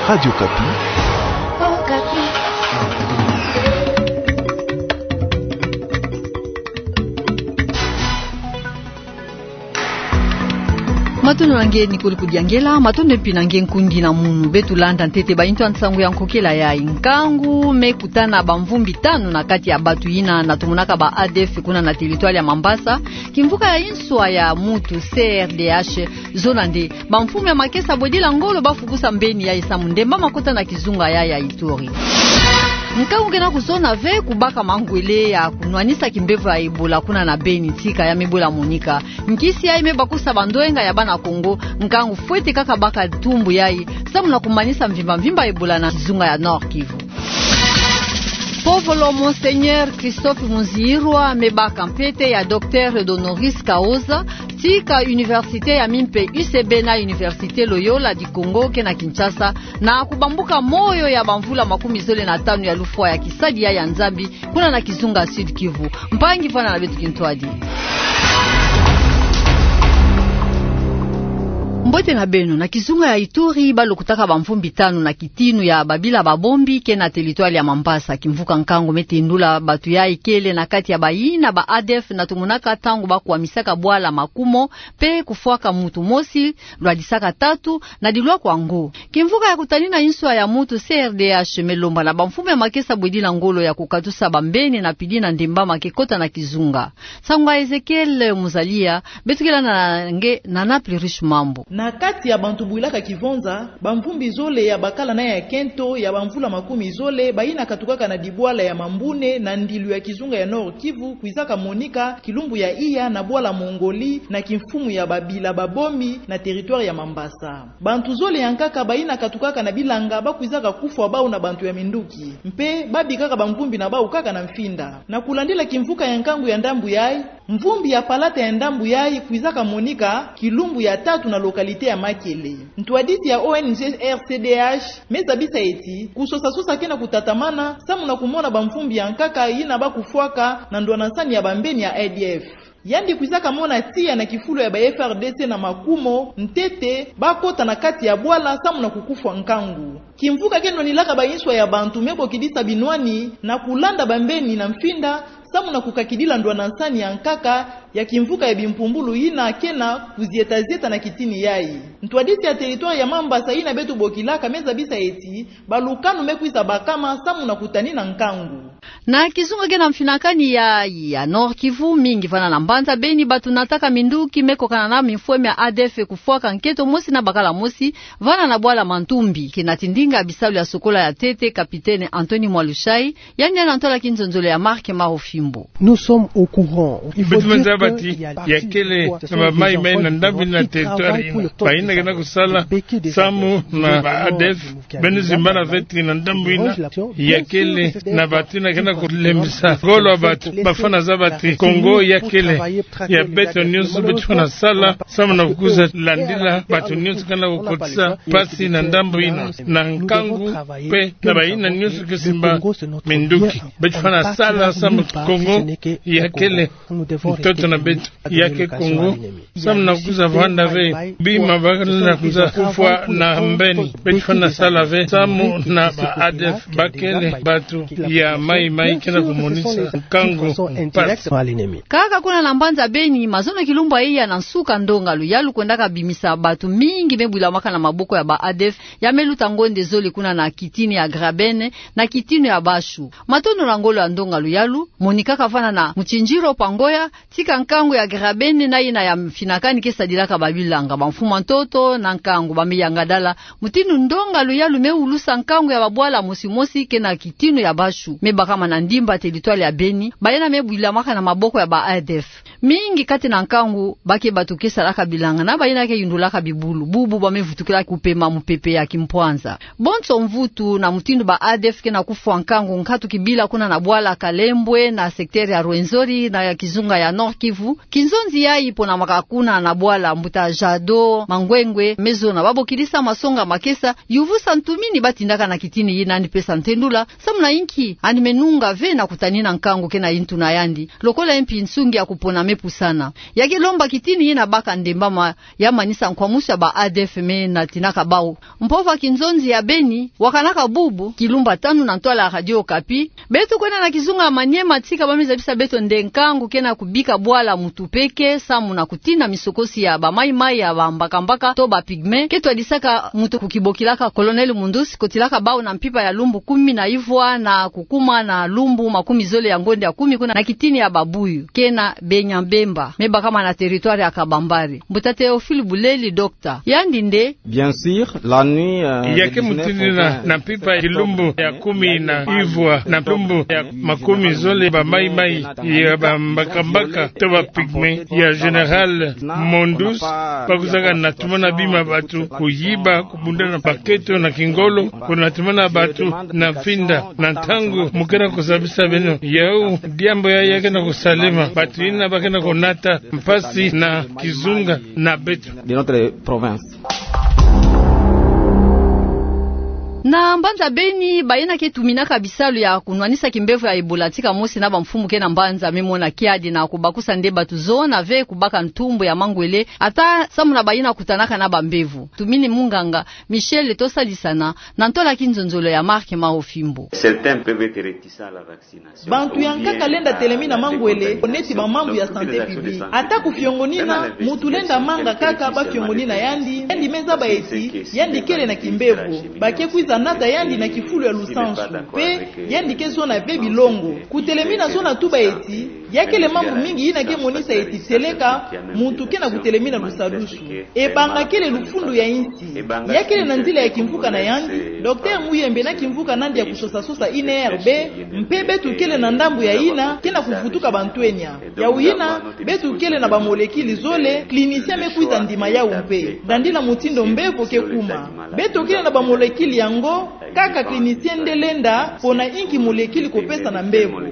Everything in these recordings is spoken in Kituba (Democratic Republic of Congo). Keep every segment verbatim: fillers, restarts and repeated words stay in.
Radio Okapi. Matondo na nge, Nicole Kudiangela, matondo mpi na nge nkundi na munu. Beto landa ntete bayintu ya nsangu ya nkokela yayi. Nkangu me kutana bamvumbi tanu na kati ya batu yina na tumunaka ba A D F kuna na territoire ya Mambasa. Kimvuka ya inswa ya mutu C R D H, zona nde bamfumu ya makesa bwedila ngolo bafukusa mbeni yayi samu ndemba makota na kizunga yayi ya Ituri. Nkangu kena kuzona ve kubaka mangwele ya kunwanisa kimbevo ya Ebola kuna na Beni, tika ya me bwela monika. Nkisi yayi me bakusa bandwenga ya bana Kongo, nkangu fwete kaka baka tumbu yayi samu na kumanisa mvimba mvimba Ebola na kizunga ya Nord-Kivu. Povolo Monseigneur Christophe Muzirwa me baka mpete ya docteur honoris causa, tika université ya mimpe U C B na Université Loyola du Congo kena Kinshasa, na kubambuka moyo ya bamvula makumi zole na tanu ya lufwa ya kisadi yayi ya Nzambi kuna na kizunga Sud-Kivu. Mpangi, vanda na beto kintwadi. Mbote na beno. Na kizunga ya Ituri, balokutaka bamvumbi tanu na kitinu ya babila babombi kena territoire ya Mambasa. Kimvuka nkangu me tendula batu yayi kele na kati ya bayina ba A D F na tumunaka ntangu bakwamisaka bwala Makumo, mpe kufwaka mutu mosi, lwadisaka tatu, na dilwa kwa ngo. Kimvuka ya kutanina inswa ya mutu C R D H me lomba na bamfumu ya makesa bwedila ngolo ya kukatusa bambeni na pidi na ndemba make kota na kizunga. Nsangu ya Ezekiel Muzalia, beto ke landa na nge na Naples Riche Mambu. Na kati ya bantu bwilaka kivonza, bamvumbi zole ya bakala na ya kento ya bamvula makumi zole, bayina katukaka na dibwala ya Mambune na ndilu ya kizunga ya Nord-Kivu, kwizaka monika kilumbu ya iya na bwala Mongoli na kimfumu ya babila babombi na territoire ya Mambasa. Bantu zole ya nkaka bayina katukaka na bilanga bakwizaka kufwa bau na bantu ya minduki, mpe babikaka bamvumbi na bau kaka na mfinda. Na kulandila kimvuka ya nkangu ya ndambu yayi, mvumbi ya palata ya ndambu yayi kwizaka monika kilumbu ya tatu na localité ya Makele. Ntwadisi ya O N G R C D H me zabisa ti kusosasosa kena kutatamana samu na kumona bamvumbi ya nkaka yina bakufwaka na ndwanasani ya bambeni ya A D F. Yandi kwizaka mona tiya na kifulu ya ba F A R D C na Makumo, ntete bakota na kati ya bwala samu na kukufwa nkangu. Kimvuka ke nwanilaka bainswa ya bantu me bokidisa binwani na kulanda bambeni na mfinda samu na kukakidila ndwanasani ya nkaka ya kimvuka ya bimpumbulu yina kena kuzietazieta na kitini yayi. Ntwadisi ya territoire ya Mambasa yina beto bokilaka me zabisa ti balukanu me kwiza bakama samu na kutanina nkangu. Na kizunga kena mfinakani ya, ya Nord-Kivu, mingi vana na mbanza Beni, batu nataka minduki me kokana na mifweme ya A D F kufwaka nkento mosi na bakala mosi vana na bwala Mantumbi. Kena tindinga bisalu ya sokola ya ntete, capitaine Anthony Mwalushai, yandi na ntwala kinzonzolo ya Marc Marofimbo. Nous sommes au courant. Il faut dire que il y a partie du corps, ce sont des enfants de... Beto manza bati ya kele na bamaimai na ndambu yina ya territoire yina, bayina kena kusala samu na ba A D F, beno zimbana ve ti na ndambu yina ya kele na batu yina kena kulembisa ngolo ya batu. Bafwana zaba ti Kongo ya kele ya beto nyonso, beto fwana sala samu na kukuza landila batu nyonso kena kukotisa mpasi na ndambu yina. Na nkangu mpe na bayina nyonso ke simba minduki, beto fwana sala samu Kongo ya kele ntoto na beto, ya ke Kongo, samu na kukuza vwanda ve bima bakala na kukuza kufwa na mbeni. Beto fwana sala ve samu na ba A D F, ba kele batu ya maimai kena kumonisa nkangu mpasi. Kaka kuna na mbanza Beni, mazono kilumbu ya iya na nsuka, ndonga luyalu kwendaka bimisa batu mingi me bwilamaka na maboko ya ba A D F, ya me luta ngonde zole kuna na kitini ya Graben na kitini ya Bashu. Matondo na ngolo ya ndonga luyalu monikaka vana na Muchinjiro Pangoya, tika nkangu ya Graben na yina ya mfinakani ke sadilaka babilanga, bamfumu ya ntoto na nkangu ba me yangadala mutindu ndonga luyalu me ulusa nkangu ya babwala mosi mosi kena kitini ya Bashu, me bakama na ndimba territoire ya Beni, bayina me bwilamaka na maboko ya ba A D F. Mingi kati na nkangu ba ke batu ke salaka bilanga na bayina ke yundulaka bibulu, bubu ba me vutukila kupema mupepe ya kimpwanza. Bonso mvutu, na mutindu ba A D F kena kufwa nkangu nkatu kibila kuna na bwala Kalembwe na secteur ya Rwenzori na ya kizunga ya Nord-Kivu, kinzonzi yayi ponamaka kuna na bwala mbuta Jado Mangwengwe me zona babokidisa masonga makesa, yuvusa ntumini batindaka na kitini yina, yandi pesa ntendula samu na inki yandi me nunga nga ve na kutanina nkangu ke na yintu na yandi, lokola ye mpi nsungi ya kupona me pusana. Ya ke lomba kitini yina baka ndembama, ya manisa nkwamusu ya ba A D F me natinaka bau. Mpova Kinzonzi ya Beni wakanaka bubu, kilumbu tanu na ntwala Radio Okapi. Beto kwenda na kizunga Maniema, tika ba me zabisa beto nde nkangu ke na kubika bwala muntu peke, samu na kutina misokosi ya ba maimai, ya ba mbakambaka, to ba pygmée, ke twadisaka muntu kukibokilaka Colonel Mundus, kotilaka bau na mpimpa ya lumbu kumi na ivwa na kukuma na lumbu makumi zole ya ngonde ya kumi kuna na kitini ya Babuyu, ke na Benya-Mbemba, me bakama na territoire ya Kabambare. Mbuta Théophile Buleli, docteur, yandi nde. Bien sûr, la nuit, euh, ya ke mutini na, na mpimpa ya lumbu ya kumi na ivwa na lumbu ya makumi zole, ba maimai ya ba mbakambaka to ba pygmée ya Général Mundus, bakusaka na tumona bima batu, kuyiba, kubundana maketo na kingolo, kunatumana batu na mfinda. Na ntangu mu ke na kusabisa beno, yau diambu ya, ya ke na kusalema, batu yina ba ke na kunata mpasi na kizunga na beto de notre province. Na mbanza Beni, bayina ke tuminaka bisalu ya kunwanisa kimbevo ya Ebola tika mosi na bamfumu ke na mbanza me mona kiadi na kubakusa nde batu zona ve kubaka ntumbu ya mangwele, ata samu na bayina kutanaka na bambevo. Tumini munganga Michel Tosadisana na ntwala kinzonzolo ya Marc Maofimbo. Certains peuvent être réticents à la vaccination. Bantu ya nkaka lenda telemina mangwele, neti ba mambu ya santé publique. Ata ku fiongonina, muntu lenda manga kaka ba fiongonina yandi, yandi me zaba eti yandi kele na kimbevo. Ba ke kwiza nata yandi na kifulu ya lusansu, mpe yandi ke zona ve bilongo. Kutelemina zona tuba eti, ya kele mambu mingi yina ke monisa eti tieleka muntu ke na kutelemina lusadusu. Ebanga kele lufundu ya insi. Ya kele na nzila ya kimvuka na yandi, Docteur Muyembe na kimvuka nandi ya kusosasosa I N R B, mpe beto kele na ndambu ya yina ke na kuvutuka bantwenya. Yau yina, beto kele na ba molécule zole, clinicien me kwiza ndima yau mpe. Dandila mutindu mbevo ke kuma. Beto kele na ba molécule yango, kaka clinicien nde lenda pona inki molécule kopesa na mbevo.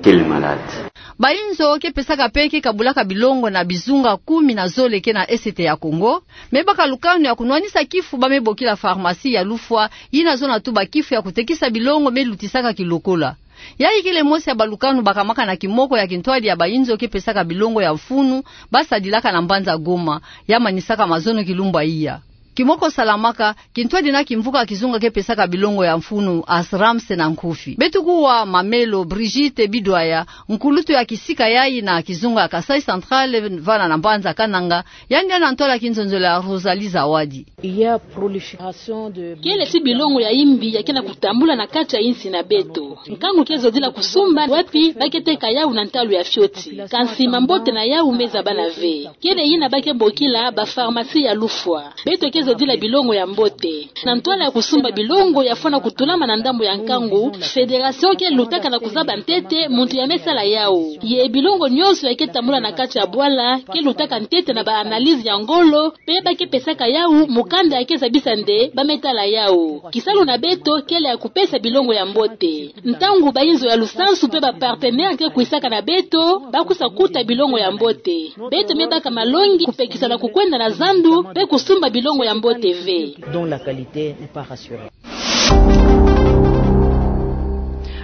Bayinzo ke pesaka mpe ke kabulaka bilongo na bizunga kumi na zole ke na Est ya Congo, me baka lukanu ya kunwanisa kifu ba me bokila pharmacie ya lufwa, yina zona tuba kifu ya kutekisa bilongo me lutisaka kilokola. Yayi kele mosi ya ba lukanu bakamaka na kimoko ya kintwadi ya bayinzo ke pesaka bilongo ya mfunu, ba sadilaka na mbanza Goma, ya manisaka mazono kilumbu ya iya. Kimoko salamaka, kintwadi na kimvuka kizunga ke pesaka bilongo ya mfunu, Asrams na nkufi. Beto kuwa mamelo Brigitte Bidwaya, nkulutu ya kisika yayi na kizunga ya Kasaï Central, vana na mbanza Kananga, yandi na ntwala kinzonzolo ya Rosalie Zawadi. Il y a prolifération de... Kele ti bilongo ya imbi ya ke na kutambula na kati ya insi na beto. Nkangu ke zodila kusumba wapi ba ke teka yau na ntalu ya fioti. Kansi mambote na yau me zabana ve. Kele yina ba ke bokila ba pharmacie ya lufwa. Beto ke zodila bilongo ya mbote. Na ntwala ya kusumba bilongo ya fwana kutulama na ndambu ya nkangu, fédération ke lutaka na kuzaba ntete muntu ya me sala yau. Ye bilongo nyonso ya ke tambula na kati ya bwala, ke lutaka ntete na ba analyse ya ngolo, mpe ba ke pesaka yau mukanda ya ke zabisa nde ba me tala yau. Kisalu na beto kele ya kupesa bilongo ya mbote. Ntangu bayinzo ya lusansu mpe ba partenaire ke kwisaka na beto, ba kwiza kuta bilongo ya mbote. Beto me baka malongi kupekisa na kukwenda na zandu, mpe kusumba bilongo ya mbote ve. Dont la qualité n'est pas rassurée.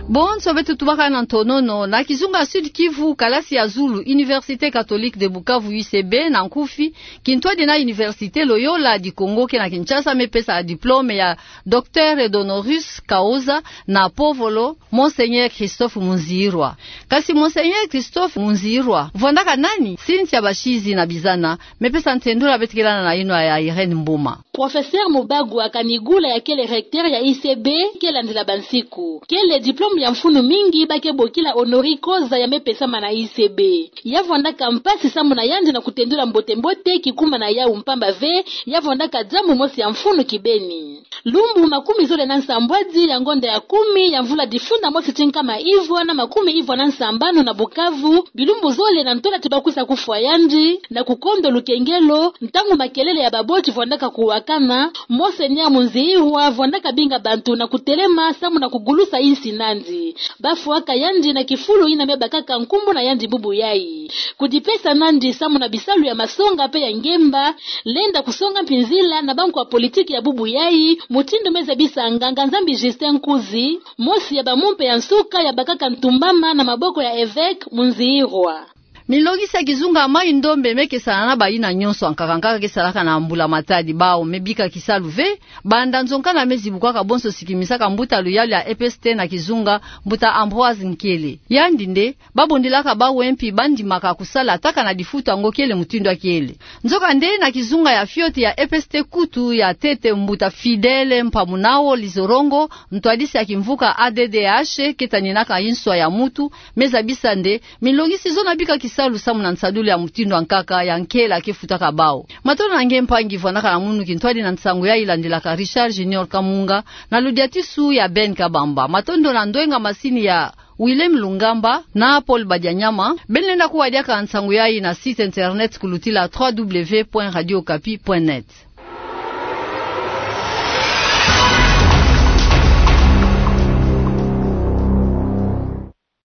Bonso beto tubaka na ntonono, na kizunga Sud-Kivu, kalasi ya zulu, Université Catholique de Bukavu, U C B na nkufi, kintwadi na Université Loyola du Congo ke na Kinshasa, me pesa diplôme ya Docteur Edonorius Kaoza na Povolo, Monseigneur Christophe Munzirwa. Kasi Monseigneur Christophe Munzirwa vwandaka nani? Cynthia Bashizi na Bizana, me pesa ntendula, beto ke landa na yinwa ya Irène Mboma. Professeur Mubagwa Kanigula ya kele recteur ya U C B, ke landila bansiku. Kele diplôme ya mfunu mingi ba ke bokila honoris causa ya me pesama na U C B. Ya vwandaka mpasi samu na yandi na kutendula mbote-mbote kikuma na yau, mpamba ve ya vwandaka diambu mosi ya mfunu kibeni. Lumbu makumi zole na nsambwadi ya ngonda ya kumi ya mvula difunda mosi ti nkama ivwa na makumi ivwa na nsambanu na Bukavu, bilumbu zole na ntwala ti ba kwiza kufwa yandi, na kukondo lukengelo, ntangu makelele ya baboti vwandaka kuwakana, Monseigneur Munzirwa vwandaka binga bantu na kutelema samu na kugulusa insi nandi. Bafwaka yandi na kifulu yina me bakaka nkumbu na yandi bubu yayi. Kudipesa nandi samu na bisalu ya masonga pe ya ngemba, lenda kusonga mpinzila na bankwa politiki ya bubu yayi, mutindu me zabisa nganga-Nzambi Justin Nkuzi, mosi ya bamumpe ya nsuka ya bakaka ntumbama na maboko ya evêque Munziirwa. Milongisi ya kizunga Mayi Ndombe me kesana na bayina nyonso, ankaka ankaka ke salaka na mbula-matadi, bawu me bika kisalu ve, banda nzonka na me zibukwaka bonso sikimisaka mbuta luyalu ya E P S T na kizunga, mbuta Ambroise Nkele. Yandi nde, babondelaka bawu mpi bandimaka kusala taka na difutu ango kele mutindu ya kele. Nzokande na kizunga ya fioti ya E P S T kutu ya ntete, mbuta Fidèle Mpamunao Lizorongo, ntwadisi ya kimvuka A D D H, ke taninaka inswa ya mutu, me zabisa nde, milongisi zona bika kisalu samu na nsadulu ya mutindu ankaka ya nkele ke futaka bawu. Matondo na nge mpangi vwanaka na munu kintwadi na nsangu yayi, landilaka Richard Junior Kamunga, na ludiatisu ya Ben Kabamba. Matondo na ndwenga masini ya Willem Lungamba na Paul Badianyama. Ben lenda kuwa diaka nsangu yayi na site internet kulutila trois W point radio okapi point net.